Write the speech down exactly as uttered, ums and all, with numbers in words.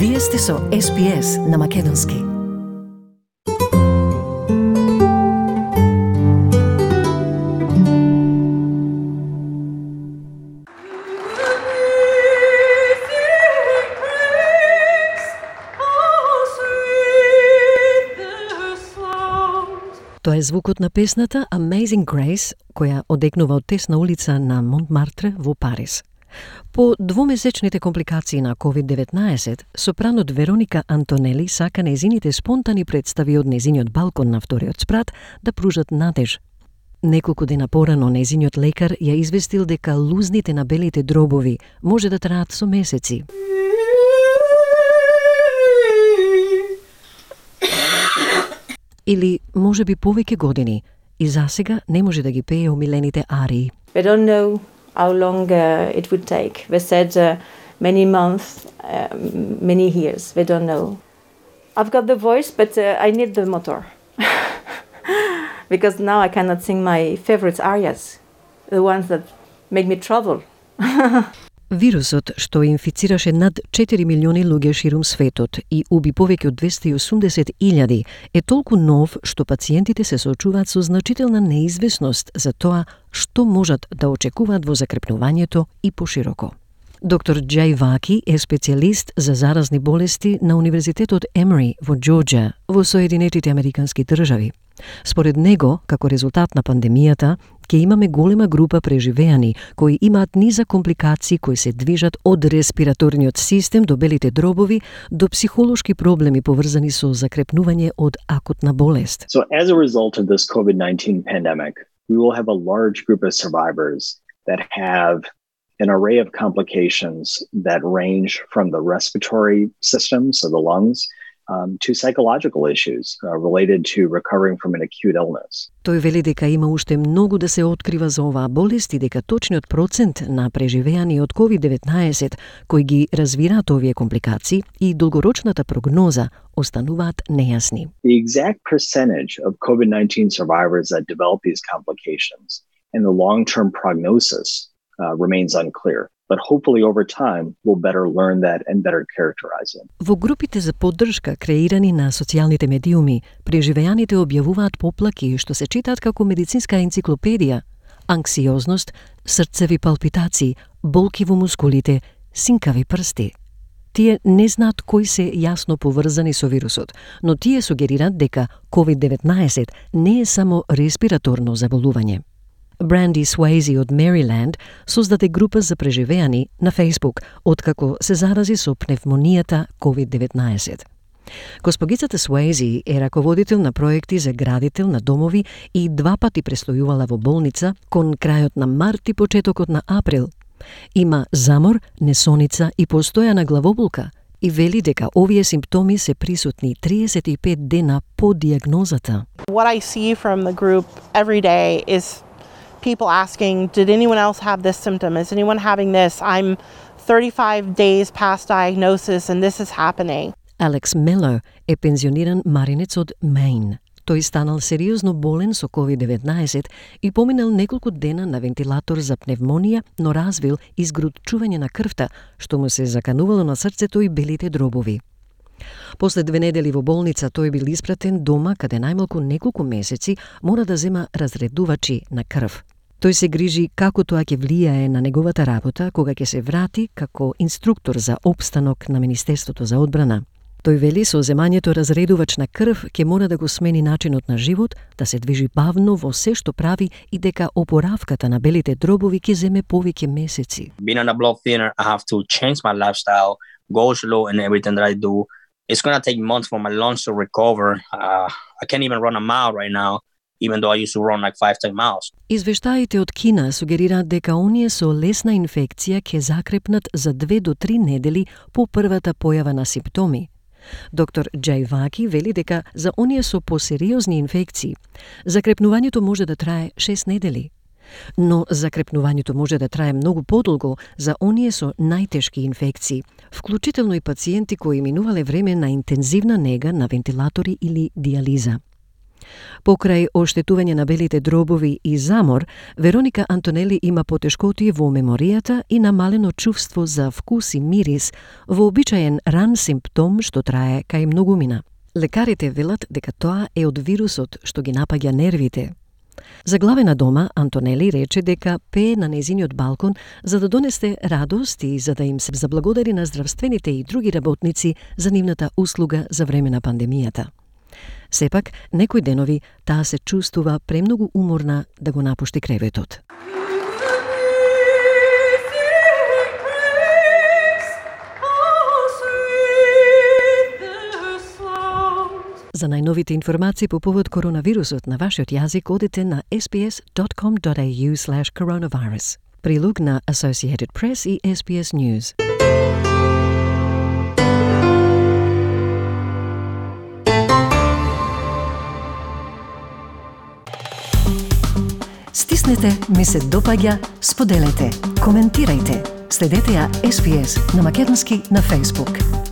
Вие сте со Ес Би Ес на Македонски. Тоа е звукот на песната Amazing Grace, која одекнува од тесна улица на Монтмартре во Париз. По двумесечните компликации на ковид деветнаесет, сопранот Вероника Антонели сака нејзините спонтани представи од нејзиниот балкон на вториот спрат да пружат надеж. Неколку дена порано нејзиниот лекар ја известил дека лузните на белите дробови може да траат со месеци. Или може би повеќе години, и засега не може да ги пее омилените арии. We don't know how long uh, it would take. We said uh, many months, uh, many years. We don't know. I've got the voice, but uh, I need the motor. Because now I cannot sing my favorite arias, the ones that make me trouble. Вирусот, што инфицираше над четири милиони луѓе ширум светот и уби повеќе од двесте и осумдесет илјади, е толку нов што пациентите се соочуваат со значителна неизвестност за тоа што можат да очекуваат во закрепнувањето и пошироко. Доктор Джај Ваки е специјалист за заразни болести на Универзитетот Емори во Џорџија, во Соединетите Американски држави. Според него, како резултат на пандемијата, ќе имаме голема група преживеани кои имаат низа компликации кои се движат од респираторниот систем до белите дробови до психолошки проблеми поврзани со закрепнување од акутна болест. So as a result of this COVID nineteen pandemic, we will have a large group of survivors that have an array of complications that range from the respiratory system, so the lungs, um, to psychological issues uh, related to recovering from an acute illness. Тој вели дека има уште многу да се открива за оваа болест и дека точниот процент на преживеани од ковид деветнаесет кои ги развираат овие компликации и долгорочната прогноза остануваат нејасни. The exact percentage of COVID nineteen survivors that develop these complications and the long-term prognosis uh, remains unclear. But hopefully over time we'll better learn that and better characterize it. Во групите за поддршка креирани на социјалните медиуми, преживеаните објавуваат поплаки што се читаат како медицинска енциклопедија: анксиозност, срцеви палпитации, болки во мускулите, синкави прсти. Тие не знаат кои се јасно поврзани со вирусот, но тие сугерираат дека ковид деветнаесет не е само респираторно заболување. Бранди Суейзи од Мериленд создаде група за преживеани на Facebook, откако се зарази со пневмонијата ковид деветнаесет. Госпогицата Суейзи е раководител на проекти за градител на домови и два пати престојувала во болница кон крајот на март и почетокот на април. Има замор, несоница и постојана главоболка и вели дека овие симптоми се присутни триесет и пет дена по диагнозата. What I see from the group every day is people asking, did anyone else have this symptom? Is anyone having this? I'm thirty-five days past diagnosis and this is happening. Алекс Мело е пензиониран маринец од Мејн. Тој станал сериозно болен со ковид деветнаесет и поминал неколку дена на вентилатор за пневмонија, но развил изгрутчување на крвта, што му се заканувало на срцето и белите дробови. После две недели во болница тој бил испратен дома, каде најмалку неколку месеци мора да зема разредувачи на крв. Тој се грижи како тоа ќе влијае на неговата работа кога ќе се врати како инструктор за опстанок на Министерството за одбрана. Тој вели со земањето разредувач на крв ќе мора да го смени начинот на живот, да се движи бавно во се што прави и дека опоравката на белите дробови ќе земе повеќе месеци. Being on a blood thinner, I have to change my lifestyle, go slow in everything that I do. It's going to take months for my lungs to recover. Uh, I can't even run a mile right now, even though I used to run like five, ten miles. Извештаите од Кина сугерираат дека оние со лесна инфекција ќе закрепнат за две до три недели по првата појава на симптоми. Доктор Джај Ваки вели дека за оние со посериозни инфекции, закрепнувањето може да трае шест недели. Но закрепнувањето може да трае многу подолго за оние со најтешки инфекции, вклучително и пациенти кои минувале време на интензивна нега на вентилатори или диализа. Покрај оштетување на белите дробови и замор, Вероника Антонели има потешкотии во меморијата и намалено чувство за вкус и мирис, вообичаен ран симптом што трае кај многумина. Лекарите велат дека тоа е од вирусот што ги напаѓа нервите. Заглавена дома, Антонели рече дека пее на незиниот балкон за да донесе радост и за да им се заблагодари на здравствените и други работници за нивната услуга за време на пандемијата. Сепак, некои денови таа се чувствува премногу уморна да го напушти креветот. За најновите информации по повод коронавирусот на вашиот јазик одите на ес би ес dot com dot a u slash coronavirus. Прилог на Associated Press и ес би ес News. Стиснете, ми се допаѓа, споделете, коментирајте. Следете ја ес би ес на македонски на Facebook.